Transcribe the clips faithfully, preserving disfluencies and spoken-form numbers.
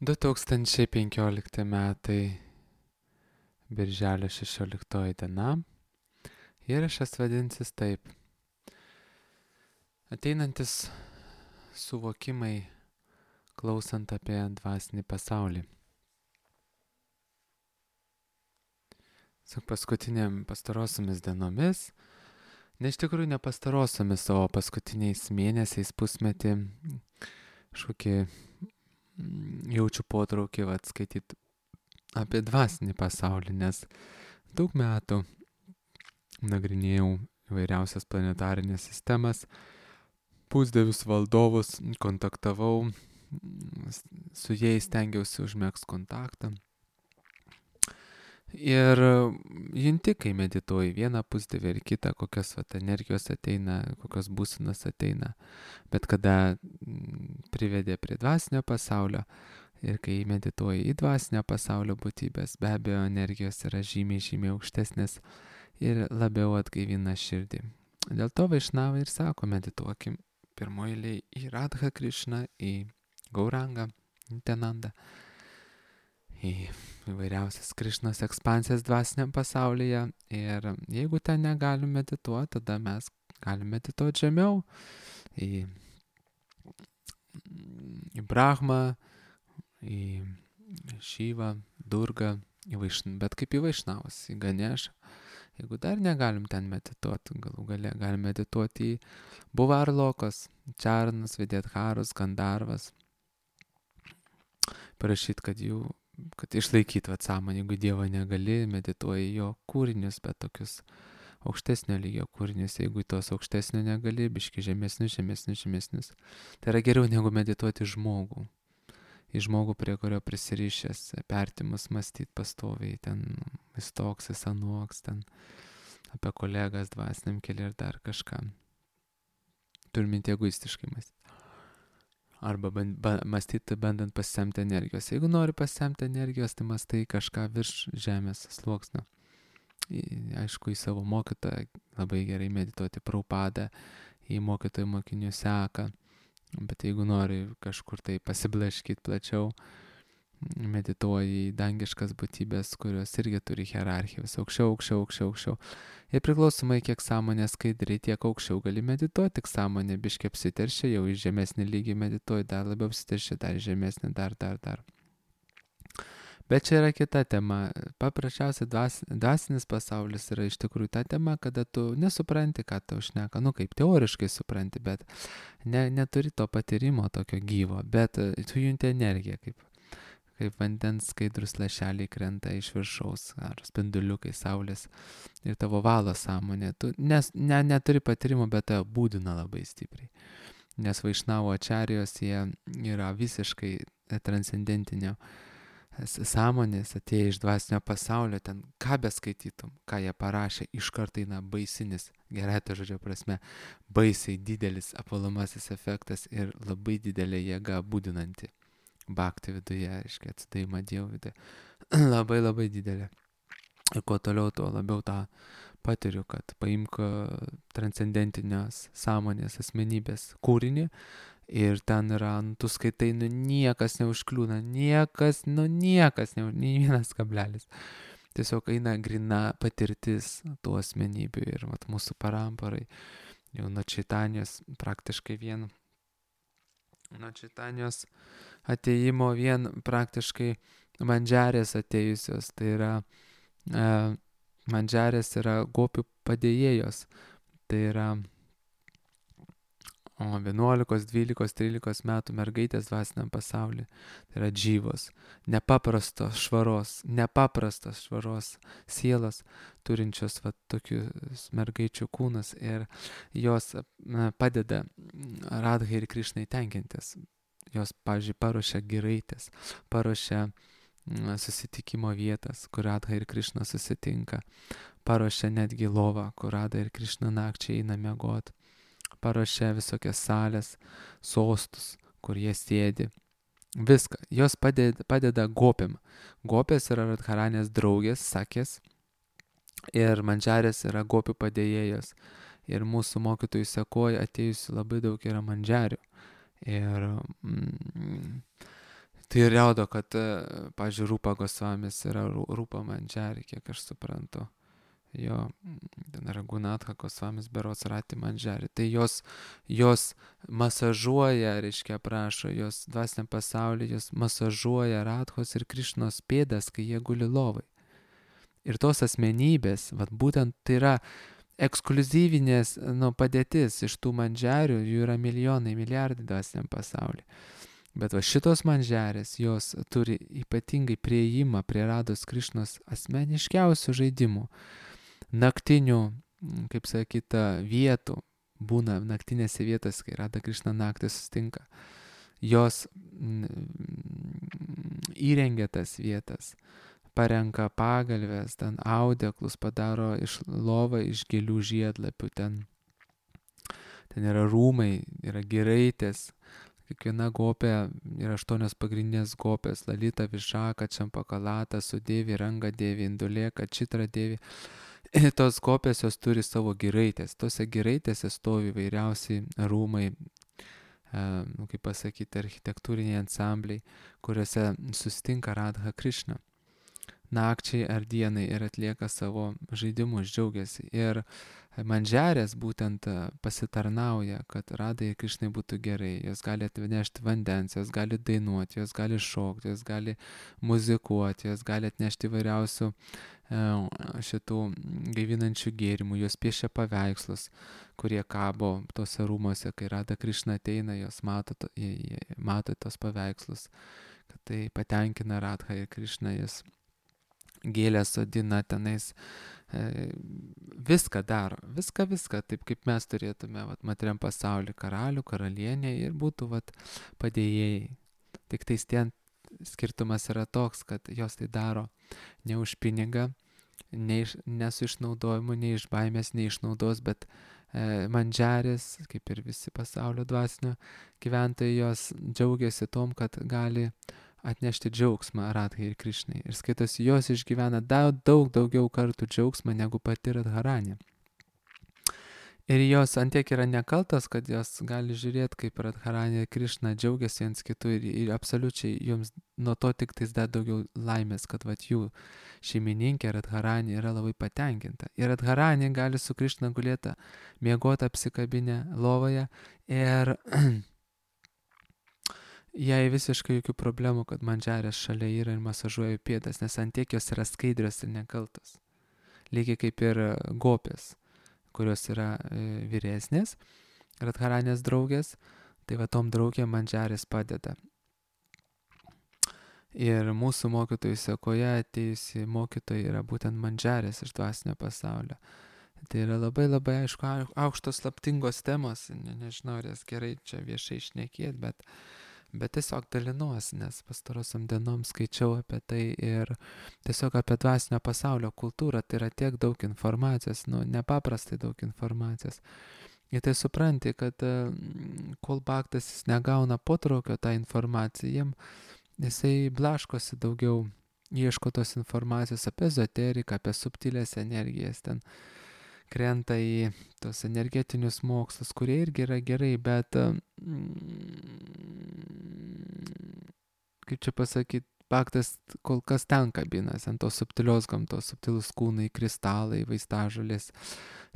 du tūkstančiai penkiolikti metai, birželio šešioliktoji diena. Įrašas vadinsis taip. Ateinantis suvokimai klausant apie dvasinį pasaulį. Su paskutiniam pastarosiomis dienomis, ne iš tikrųjų ne pastarosiomis, o paskutiniais mėnesiais, pusmetį, kažkokį jaučiu potraukį atskaityti apie dvasinį pasaulį, nes daug metų nagrinėjau įvairiausias planetarinės sistemas, pusdievius valdovus, kontaktavau, su jais stengiausi užmegzti kontaktą. Ir junti, kai medituoji vieną pusdievį ir kitą, kokios vat, energijos ateina, kokios būsenos ateina. Bet kada privedė prie dvasinio pasaulio ir kai medituoji į dvasinio pasaulio būtybės, be abejo, energijos yra žymiai, žymiai aukštesnės ir labiau atgaivina širdį. Dėl to Vaišnavai ir sako, medituokim pirmoji eilėje į Radha Krišną, į Gaurangą, Nityanandą, į įvairiausias Krišnos ekspansijas dvasiniam pasaulyje. Ir jeigu ten negalim medituoti, tada mes galim medituoti žemiau, į, į Brahmą, į Šyvą, Durgą, į Vaišn... bet kaip į Vaišnavus, į Ganešą. Jeigu dar negalim ten medituoti, galų gale galim medituoti į Buvarlokos, Čarnas, Videtharus, Gandarvas. Parašyti, kad jų kad išlaikyti vat sąmonę, jeigu Dievo negali, medituoji jo kūrinius, bet tokius aukštesnio lygio kūrinius, jeigu tos aukštesnio negali, biški žemesnius, žemesnius, žemesnius. Tai yra geriau negu medituoti žmogų. Į žmogų, prie kurio prisirišęs, pertimus mąstyti pastoviai, ten jis toks, jis anoks, ten apie kolegas dvasiniam keliui ir dar kažką. Turime egoistiškai mąstyti. Arba band, ba, mąstyti bandant pasisemti energijos. Jeigu nori pasisemti energijos, tai mąstai kažką virš žemės sluoksnio. Į, aišku, į savo mokytoją labai gerai medituoti, Prabhupadą, į mokytojų mokinių seką. Bet jeigu nori kažkur tai pasiblaškyti plačiau, medituoji į dangiškas būtybės, kurios irgi turi hierarchiją, vis aukščiau, aukščiau, aukščiau, aukščiau. Ir priklausomai, kiek sąmonė skaidri, tiek aukščiau gali medituoti, tik sąmonė biškiai apsiteršia, jau į žemesnį lygį medituoji, dar labiau apsiteršia, dar žemesnį, dar, dar, dar. Bet čia yra kita tema. Paprasčiausiai dvas, dvasinis pasaulis yra iš tikrųjų ta tema, kada tu nesupranti, ką tau šneka, nu kaip teoriškai supranti, bet ne, neturi to patyrimo tokio gyvo, bet tu junti energiją, kaip kaip vandens skaidrus lašeliai krenta iš viršaus, ar spinduliukai saulės ir tavo valo sąmonė. Tu nes, ne, neturi patyrimo, bet tai būdina labai stipriai. Nes Vaišnavo ačarijos jie yra visiškai transcendentinio sąmonės, atėję iš dvasinio pasaulio, ten ką beskaitytum, ką jie parašė, iš karto eina baisinis, gerai to žodžio prasme, baisiai didelis apvalomasis efektas ir labai didelė jėga būdinanti. Bhakti viduje, aiškiai, atsidavimą Dievo viduje. Labai labai didelė. Ir kuo toliau, tuo labiau tą patiriu, kad paimk transcendentinės sąmonės asmenybės kūrinį ir ten yra, nu, tu skaitai, nu niekas neužkliūna, niekas, nu niekas, ne, nei vienas kablelis. Tiesiog eina grina patirtis tų asmenybių ir vat, mūsų paramparai, jau nuo Čaitanijos praktiškai vien, nuo Čaitanijos atėjimo vien praktiškai mandžarės atėjusios, tai yra e, mandžarės yra gopių padėjėjos, tai yra o, vienuolikos, dvylikos, trylikos metų mergaitės dvasiniam pasaulyje, tai yra džyvos, nepaprastos švaros, nepaprastos švaros sielos, turinčios va, tokius mergaičių kūnus ir jos na, padeda Radhai ir Krišnai tenkintis. Jos, pavyzdžiui, paruošia giraitės, paruošia susitikimo vietas, kur Radha ir Krišna susitinka, paruošia netgi lovą, kur Radha ir Krišna nakčiai eina miegot, paruošia visokias salės, sostus, kur jie sėdi. Viską. Jos padeda, padeda gopėm. Gopės yra Radharanės draugės, sakės, ir mandžarės yra gopių padėjėjos. Ir mūsų mokytojų sekoje atėjusi labai daug yra mandžarių. Ir mm, Tai rodo, kad, pavyzdžiui, Rūpa Gosvamis yra Rūpa Mandžari, kiek aš suprantu. Jo, ten Ragunatha Gosvamis berods Rati Mandžari. Tai jos, jos masažuoja, reiškia, prašo, jos dvasiniam pasaulyje, jos masažuoja Radhos ir Krišnos pėdas, kai jie guli lovai. Ir tos asmenybės, vat būtent tai yra ekskluzyvinės nu, padėtis iš tų mandžerių, jų yra milijonai, milijardai dvasiniam pasaulyje. Bet va šitos mandžerės, jos turi ypatingai prieimą prie Rados Krišnos asmeniškiausių žaidimų, naktinių, kaip sakyta, vietų, būna naktinėse vietose, kai Rada Krišna naktį sustinka. Jos įrengia tas vietas, parenka pagalvės, ten audeklus, padaro iš lovą iš gėlių žiedlapių, ten, ten yra rūmai, yra giraitės, kiekviena gopė yra aštuonios pagrindinės gopės, Lalita, Višaka, Čampakalata, Sudėvi, Ranga Dėvi, Indulėka, Čitra Dėvi. Ir tos gopės jos turi savo giraitės, tose giraitėse stovi vairiausiai rūmai, nu, kaip pasakyti, architektūriniai ansambliai, kuriuose sustinka Radha Krišna nakčiai ar dienai ir atlieka savo žaidimus, džiaugiasi. Ir mandžerės būtent pasitarnauja, kad Radai Krišnai būtų gerai. Jos gali atnešti vandens, jos gali dainuoti, jos gali šokti, jos gali muzikuoti, jos gali atnešti įvairiausių šitų gaivinančių gėrimų, jos piešia paveikslus, kurie kabo tose rūmose, kai Rada Krišna ateina, jos mato, to, mato tos paveikslus, kad tai patenkina Radha ir Krišna, jis gėlę sodina tenais, e, viską daro, viską, viską, taip kaip mes turėtume vat, materiam pasaulį, karalių, karalienė ir būtų vat, padėjėjai. Tik tais ten skirtumas yra toks, kad jos tai daro ne už pinigą, ne, iš, ne su išnaudojimu, ne iš baimės, ne išnaudos, bet e, mandžerės, kaip ir visi pasaulio dvasinio gyventojai, jos džiaugiasi tom, kad gali atnešti džiaugsmą Radhai ir Krišnai. Ir skaitosi, jos išgyvena daug, daug daugiau kartų džiaugsmą negu pati Radharani. Ir jos antiek yra nekaltos, kad jos gali žiūrėti, kaip Radharani ir Krišna džiaugiasi viens kitų ir, ir absoliučiai joms nuo to tik tais dar daugiau laimės, kad vat jų šeimininkė Radharani yra labai patenkinta. Ir Radharani gali su Krišna gulėti miegoti apsikabinę lovoje ir jai visiškai jokių problemų, kad mandžerės šalia yra ir masažuoja pėdas, nes antiek jos yra skaidrios ir nekaltos. Lygiai kaip ir gopės, kurios yra e, vyresnės, Radharanės draugės, tai va tom draugėm mandžerės padeda. Ir mūsų mokytojų sekoje atėjusi mokytojai yra būtent mandžerės iš dvasinio pasaulio. Tai yra labai labai aišku, aukštos slaptingos temos, ne, nežinau, ar jas gerai čia viešai šnekėt, bet Bet tiesiog dalinuosi, nes pastarosiam dienom skaičiau apie tai ir tiesiog apie dvasinio pasaulio kultūrą, tai yra tiek daug informacijos, nu, nepaprastai daug informacijos. Ir tai supranti, kad kol baktas jis negauna potraukio tą informaciją, jisai blaškosi daugiau, ieško tos informacijos apie ezoteriką, apie subtilės energijas, ten krenta į tos energetinius mokslus, kurie irgi yra gerai, bet kaip čia pasakyti, baktas kol kas ten kabinas, ant tos subtilios gamtos, subtilus kūnai, kristalai, vaistažolės,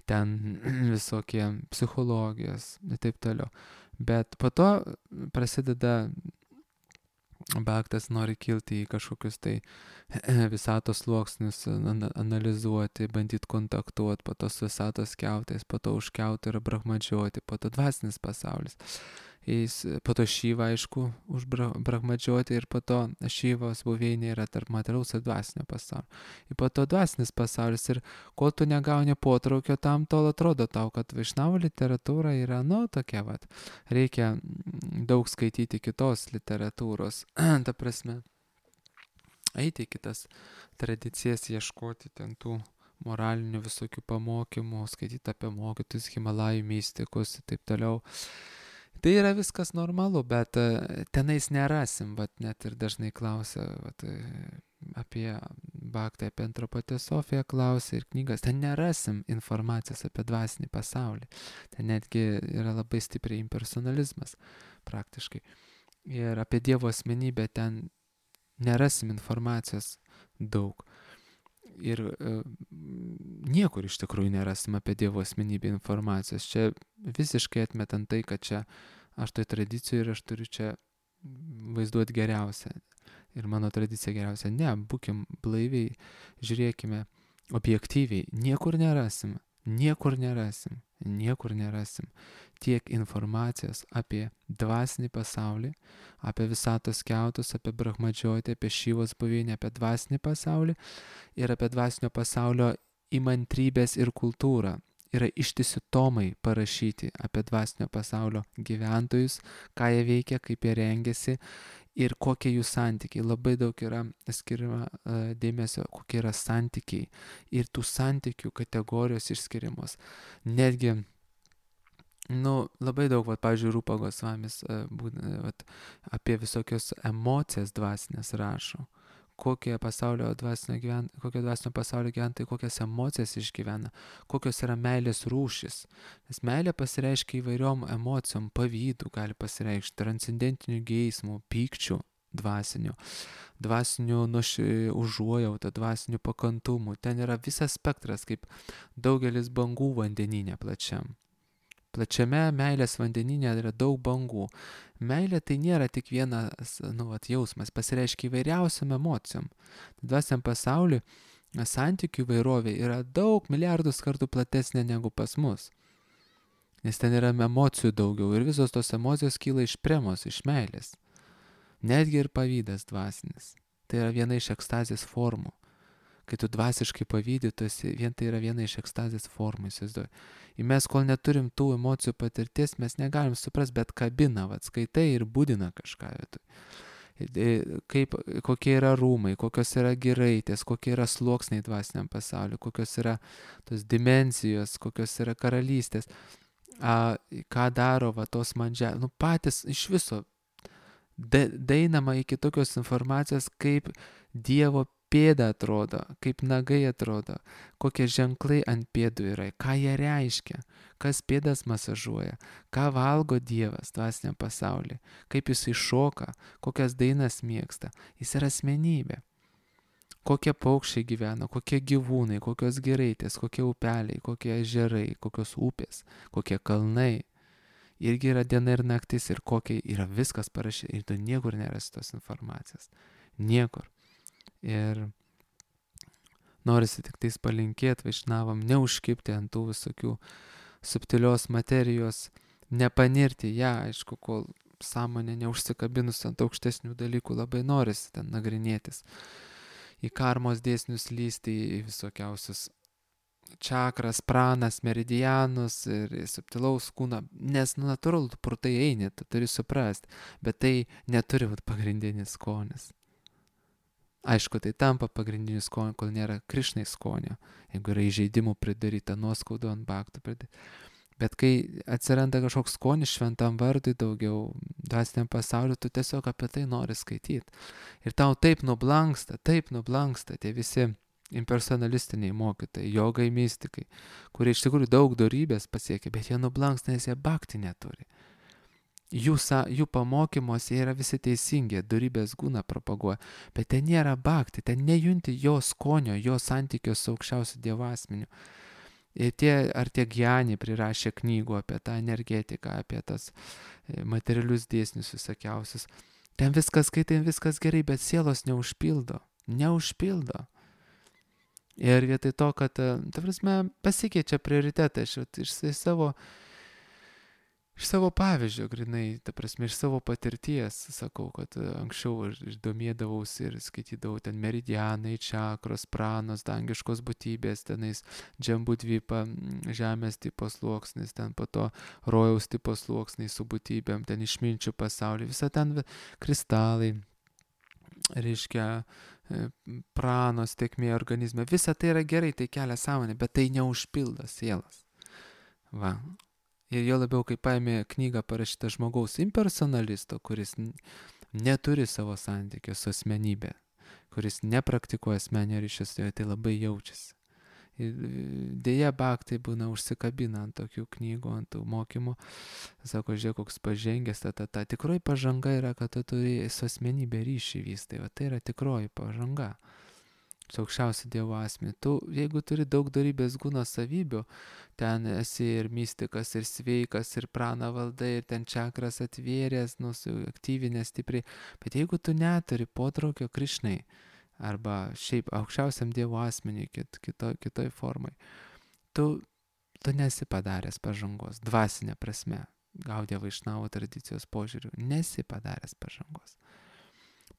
ten visokie psichologijos ir taip toliau. Bet po to prasideda baktas nori kilti į kažkokius tai visatos sluoksnius, analizuoti, bandyti kontaktuoti, po to su visatos kiautais, po to užkiauti ir brahmadžiuoti, po to dvasinis pasaulis. Jis, po to Šyva, aišku, užbrahmadžiuoti ir po to Šyvos buveinė yra tarp materialaus ir dvasinio pasaulio. Ir po to dvasinis pasaulis ir kol tu negauni potraukio tam, tol atrodo tau, kad Vaišnavų literatūra yra, nu, tokia, vat, reikia daug skaityti kitos literatūros, ta prasme, eiti į kitas tradicijas, ieškoti ten tų moralinių visokių pamokymų, skaityti apie mokytus, Himalajų mistikus ir taip toliau. Tai yra viskas normalu, bet tenais nerasim, bet net ir dažnai klausia vat, apie baktą, apie antropoteosofiją klausia ir knygas. Ten nerasim informacijos apie dvasinį pasaulį. Ten netgi yra labai stipriai impersonalizmas praktiškai. Ir apie Dievo asmenybę ten nerasim informacijos daug. Ir e, niekur iš tikrųjų nerasim apie Dievo asmenybę informacijos. Čia visiškai atmetant tai, kad čia aš toj tradicijoje ir aš turiu čia vaizduoti geriausią. Ir mano tradicija geriausia. Ne, būkim blaiviai, žiūrėkime objektyviai. Niekur nerasim, niekur nerasim, niekur nerasim tiek informacijos apie dvasinį pasaulį, apie visatos kiautus, apie Brahmadžiotį, apie Šyvos buveinę, apie dvasinį pasaulį ir apie dvasinio pasaulio įmantrybės ir kultūrą. Yra ištisi tomai parašyti apie dvasinio pasaulio gyventojus, ką jie veikia, kaip jie rengiasi ir kokie jų santykiai. Labai daug yra skiriama uh, dėmesio, kokie yra santykiai ir tų santykių kategorijos išskiriamos. Netgi, nu, labai daug, vat, pavyzdžiui, Rūpa Gosvamis uh, vat, apie visokios emocijas dvasinės rašo. Kokie pasaulio dvasinio, gyven, kokie dvasinio pasaulio gyventojai, kokias emocijas išgyvena, kokios yra meilės rūšis. Nes meilė pasireiškia įvairiom emocijom, pavydų gali pasireikšti, transcendentinių geismų, pykčių dvasinių, dvasinių užuojautą, dvasinių pakantumų. Ten yra visas spektras, kaip daugelis bangų vandenyne plačiam. Plačiame meilės vandenyne yra daug bangų. Meilė tai nėra tik vienas nu, vat, jausmas, pasireiškia įvairiausiam emocijom. Dvasiniam pasauliu santykių įvairovė yra daug milijardus kartų platesnė negu pas mus. Nes ten yra emocijų daugiau ir visos tos emocijos kyla iš premos, iš meilės. Netgi ir pavydas dvasinis. Tai yra viena iš ekstazės formų. Kai tu dvasiškai pavydį, tu esi, vien tai yra viena iš ekstazės formų, įsivaizduoju. Ir mes, kol neturim tų emocijų patirties, mes negalim suprast, bet kabina, vat, skaitai ir būdina kažką. Kaip, kokie yra rūmai, kokios yra giraitės, kokie yra sluoksniai dvasiniam pasauliu, kokios yra tos dimensijos, kokios yra karalystės, a, ką daro va, tos mandžia, nu patys iš viso daeinama iki tokios informacijos, kaip Dievo pėda atrodo, kaip nagai atrodo, kokie ženklai ant pėdų yra, ką jie reiškia, kas pėdas masažuoja, ką valgo Dievas dvasiniam pasaulyje, kaip jis iššoka, kokias dainas mėgsta. Jis yra asmenybė. Kokie paukščiai gyvena, kokie gyvūnai, kokios giraitės, kokie upeliai, kokie ežerai, kokios upės, kokie kalnai. Irgi yra diena ir naktis ir kokie yra viskas parašyta. Ir tu niekur nerasi tos informacijos. Niekur. Ir norisi tik tais palinkėti vaišnavam, neužkibti ant tų visokių subtilios materijos, nepanirti ją, aišku, kol sąmonė neužsikabinus ant aukštesnių dalykų, labai norisi ten nagrinėtis. Į karmos dėsnius lysti, į visokiausius čakras, pranas, meridianus ir subtilaus kūną, nes nu, natūralu, tu pro tai eini, tu turi suprasti, bet tai neturi būt pagrindinis skonis. Aišku, tai tampa pagrindiniu skoniu, kol nėra Krišnai skonio, jeigu yra įžeidimų pridaryta, nuoskaudų ant baktų pridaryta. Bet kai atsiranda kažkoks skonis šventam vardui daugiau, dvasiniam pasauliu, tu tiesiog apie tai nori skaityti. Ir tau taip nublanksta, taip nublanksta tie visi impersonalistiniai mokytojai, jogai, mystikai, kurie iš tikrųjų daug dorybės pasiekia, bet jie nublanksta, nes jie bakti neturi. Jų, jų pamokymuose yra visi teisingi, dorybės gūną propaguoja, bet ten nėra bakti, ten nejunti jo skonio, jo santykio su aukščiausiu Dievo asmeniu. Ir tie, ar tie Gjani prirašė knygų apie tą energetiką, apie tas materialius dėsnius visokiausius. Ten viskas skaitai, viskas gerai, bet sielos neužpildo, neužpildo. Ir vietoj to, kad, ta prasme, pasikeičia prioritetai, aš iš savo Iš savo pavyzdžio, grinai, ta prasme, iš savo patirties, sakau, kad anksčiau aš domėdavausi ir skaitydavau ten meridianai, čakros, pranos, dangiškos būtybės, tenais džambudvypa, žemės tipo sluoksnis, ten po to rojaus tipo sluoksniai su būtybėm, ten išminčių pasaulį, visa ten kristalai, reiškia, pranos, tėkmė organizme, visa tai yra gerai, tai kelia sąmonę, bet tai neužpildo sielas. Va. Ir jo labiau, kai paėmė knygą parašytą žmogaus impersonalisto, kuris neturi savo santykio su asmenybė, kuris nepraktikuoja asmenio ryšio su juo, tai labai jaučiasi. Dėja, baktai būna užsikabina ant tokių knygų, ant tų mokymų. Sako, žiūrėk, koks pažengęs, ta, ta, ta. Tikroji pažanga yra, kad tu turi su asmenybė ryšį vystai. Va, tai yra tikroji pažanga. Su aukščiausiu Dievo asmeniu. Tu, jeigu turi daug dorybės gūno savybių, ten esi ir mystikas, ir sveikas, ir prana valdai, ir ten čakras atvėręs, nu, aktyvinės stipriai. Bet jeigu tu neturi potraukio Krišnai, arba šiaip aukščiausiam Dievo asmeniui, kit, kito, kitoj formai, tu, tu nesi padaręs pažangos, dvasinė prasme, Gaudija Vaišnavo tradicijos požiūriu, nesi padaręs pažangos.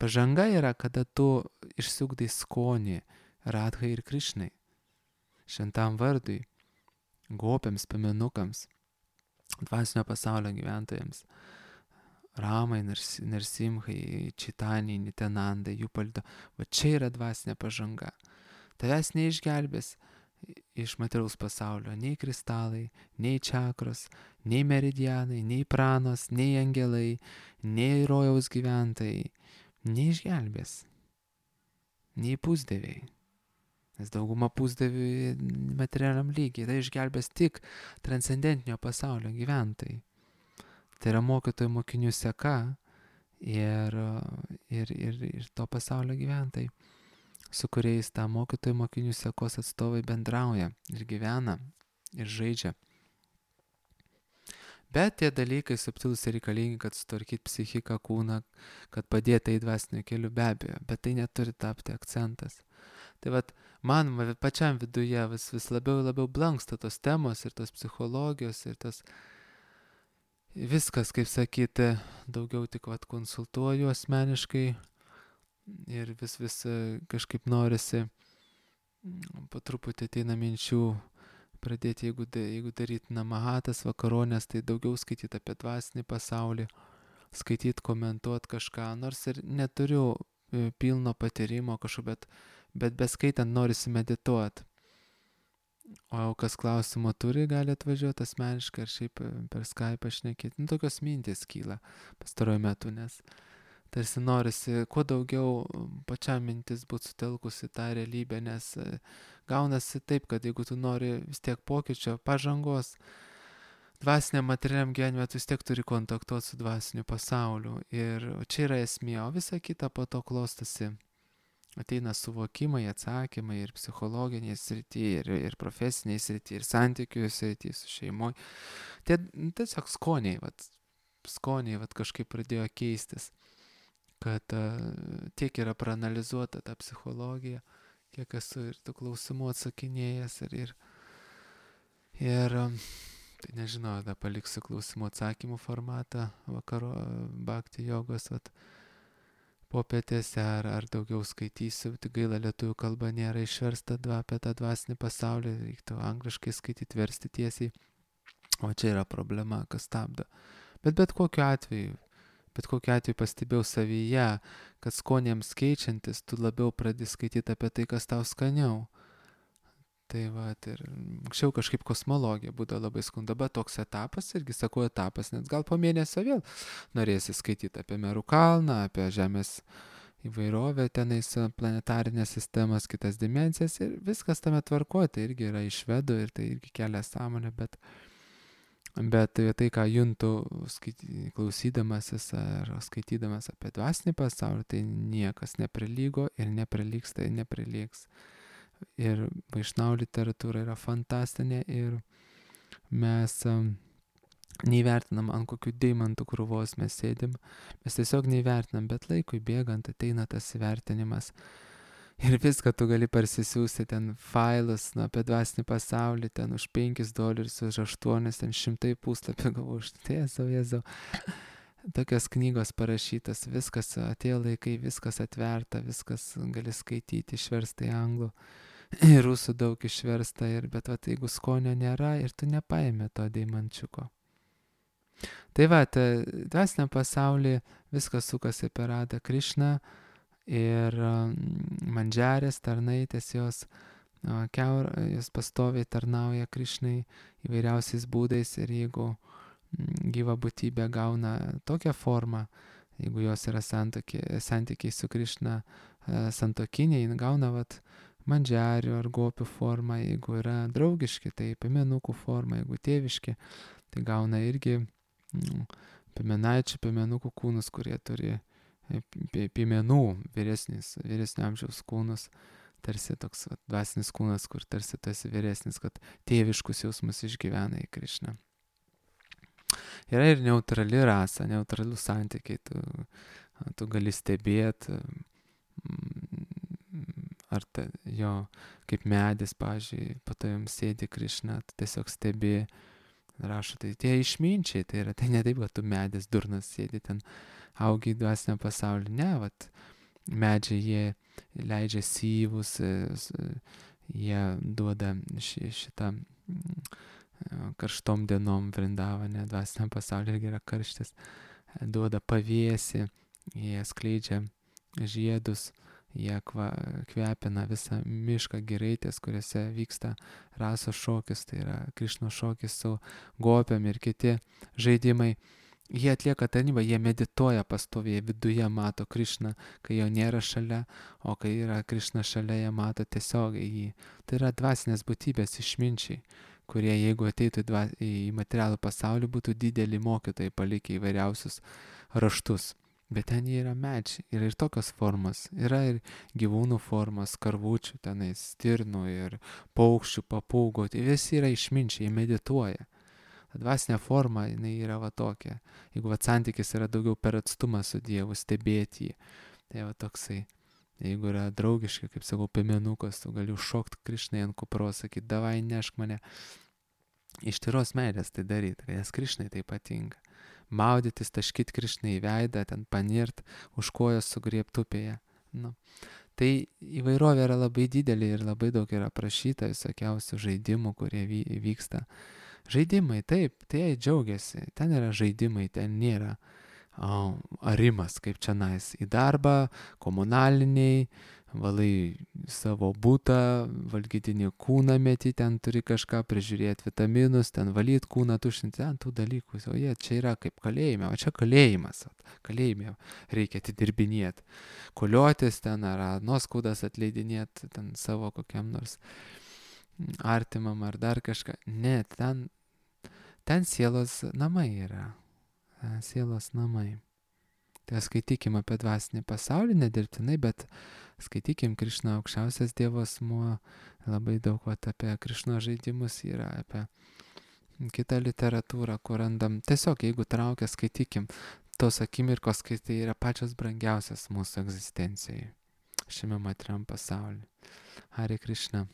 Pažanga yra, kada tu išsiugdai skonį Radhai ir Krišnai, šventam vardui, gopiams, piemenukams, dvasinio pasaulio gyventojams, Ramai, Narsimhai, Čitaniai, Nitenandai, jų paldo. Va čia yra dvasinė pažanga. Tavęs neišgelbės iš materiaus pasaulio nei kristalai, nei čakros, nei meridianai, nei pranos, nei angelai, nei rojaus gyventojai. Neišgelbės. Nei pusdieviai. Nes dauguma pusdievių materialiam lygiai. Tai išgelbės tik transcendentinio pasaulio gyventojai. Tai yra mokytojų mokinių seka ir, ir, ir, ir to pasaulio gyventojai, su kuriais tą mokytojų mokinių sekos atstovai bendrauja ir gyvena ir žaidžia. Bet tie dalykai subtilūs ir reikalingi, kad sutvarkyti psichiką, kūną, kad padėtų į dvasinio keliu, be abejo, bet tai neturi tapti akcentas. Tai vat, man pačiam viduje vis, vis labiau labiau blanksta tos temos ir tos psichologijos ir tos viskas, kaip sakyti, daugiau tik vat, konsultuoju asmeniškai ir vis vis kažkaip norisi, po truputį ateina minčių pradėti, jeigu, jeigu daryti namahatas, vakaronės, tai daugiau skaityti apie dvasinį pasaulį, skaityti, komentuoti kažką, nors ir neturiu pilno patyrimo kažko, bet, bet beskaitant norisi medituoti. O kas klausimo turi, gali atvažiuoti asmeniškai ar šiaip per Skype šnekėti. Nu, tokios mintys kyla pastaruoju metu, nes tarsi norisi kuo daugiau pačiam mintis būti sutelkusi tą realybę, nes gaunasi taip, kad jeigu tu nori vis tiek pokyčio, pažangos, dvasiniam materialiam gyvenime, tu vis tiek turi kontaktuoti su dvasiniu pasauliu. Ir čia yra esmė, o visa kita po to klostosi. Ateina suvokimai, atsakymai ir psichologinėje srityje, ir, ir profesinėje srityje, ir santykių srityje su šeimoje. Tai tiesiog skoniai, vat, skoniai vat, kažkaip pradėjo keistis, kad uh, tiek yra praanalizuota ta psichologija, kiek esu ir tų klausimų atsakinėjęs. Ir, ir, ir um, tai nežinau, da paliksiu klausimų atsakymų formatą vakaro bhakti jogos, vat, popietėse ar, ar daugiau skaitysiu, tik gaila lietuvių kalba nėra išversta dva, apie tą dvasinį pasaulį, reiktų angliškai skaityti, versti tiesiai, o čia yra problema, kas stabdo. Bet bet kokiu atveju, bet kokiu atveju pastebėjau savyje, kad skonėms keičiantis, tu labiau pradedi skaityti apie tai, kas tau skaniau. Tai va, ir anksčiau kažkaip kosmologija būdavo labai skunda, bet toks etapas, irgi sakau etapas, nes gal po mėnesio vėl norėsi skaityti apie Merų kalną, apie Žemės įvairovę, tenais planetarinės sistemas, kitas dimensijas ir viskas tame tvarkoja, tai irgi yra iš vedų ir tai irgi kelia sąmonę, bet, bet tai, ką juntu skaity, klausydamasis ar skaitydamas apie dvasinį pasaulį, tai niekas neprilygo ir neprilygsta ir neprilygs. Ir Vaišnavų literatūra yra fantastinė ir mes um, neįvertinam, ant kokių deimantų krūvos mes sėdim, mes tiesiog neįvertinam, bet laikui bėgant ateina tas įvertinimas ir viską tu gali parsisiųsti ten failus, nu, apie dvasinį pasaulį, ten už penkis dolerius, už aštuonis, ten šimtai puslapį gavau, už tiesau, jėzau. Tokios knygos parašytas, viskas atėjo laikai, viskas atverta, viskas gali skaityti, išversta į anglų, ir rusų daug išversta, ir, bet va, jeigu skonio nėra ir tu nepaėmė to deimančiuko. Tai va, dvasiniam pasaulyje viskas sukasi apie Radą Krišną ir um, mandžarės, tarnaitės, jos, uh, keur, jos pastoviai tarnauja Krišnai įvairiausiais būdais ir jeigu gyva būtybė gauna tokią formą, jeigu jos yra santykiai, santykiai su Krišna, santokiniai, gauna vat, mandžiarių ar gopių forma, jeigu yra draugiški, tai piemenukų forma, jeigu tėviški, tai gauna irgi mm, piemenaičių, piemenukų kūnus, kurie turi piemenų vyresnis, vyresnio amžiaus kūnus, tarsi toks va, dvasinis kūnas, kur tarsi tu esi vyresnis, kad tėviškus jausmus išgyvena į Krišną. Yra ir neutrali rasa, neutralų santykiai, tu, tu gali stebėti, ar ta, jo, kaip medis, pavyzdžiui, po to jums sėdi Krišna, tu tiesiog stebi, rašo, tai tie išminčiai, tai yra, tai ne taip, kad tu medis durnas sėdi ten, augi į dvasinę pasaulį, ne, vat, medžiai jie leidžia syvus, jie duoda ši, šitą karštom dienom Vrindavane, dvasiniam pasaulyje irgi yra karštis, duoda pavėsį, jie skleidžia žiedus, jie kva, kvepina visą mišką giraitės, kuriuose vyksta rasos šokis, tai yra Krišnos šokis su gopiam ir kiti žaidimai. Jie atlieka tarnybą, jie medituoja pastoviai, viduje mato Krišną, kai jo nėra šalia, o kai yra Krišna šalia, jie mato tiesiogiai jį. Tai yra dvasinės būtybės išminčiai, kurie jeigu ateitų į, dva, į materialų pasaulį, būtų dideli mokytojai palikę įvairiausius raštus. Bet ten jie yra medžiai, yra ir tokios formos, yra ir gyvūnų formos, karvučių, tenais stirnų ir paukščių, papūgų, tai visi yra išminčiai, jie medituoja. Dvasinė forma, jinai yra va tokia. Jeigu va santykis yra daugiau per atstumą su Dievu, stebėti jį, tai va toksai. Jeigu yra draugiškai, kaip sakau, piemenukas, tu gali užšokti Krišnai ant kupros, sakyti, davai nešk mane. Iš tyros meilės tai daryti, nes Krišnai tai patinka. Maudytis, taškyti Krišnai į veidą, ten panirt, už kojos sugriebti upėje. Nu. Tai įvairovė yra labai didelė ir labai daug yra prašyta visokiausių žaidimų, kurie vyksta. Žaidimai, taip, tai džiaugiasi, ten yra žaidimai, ten nėra o, arimas, kaip čia nais, į darbą, komunaliniai, valai savo butą, valgydinį kūną meti, ten turi kažką prižiūrėti vitaminus, ten valyti kūną, tušinti, ten tų dalykų, o jie čia yra kaip kalėjime, o čia kalėjimas, kalėjime reikia atidirbinėti, koliotis ten ar nuoskaudas atleidinėti ten savo kokiam nors artimam ar dar kažką, ne, ten Ten sielos namai yra. Sielos namai. Tai skaitykim apie dvasinį pasaulį, nedirbtinai, bet skaitykim Krišną aukščiausias Dievo asmuo. Labai daug vat, apie Krišno žaidimus yra, apie kitą literatūrą, kur randam. Tiesiog, jeigu traukia, skaitykim. Tos akimirkos, kai tai yra pačios brangiausias mūsų egzistencijai. Šiame materiam pasaulyje. Hare Krišna.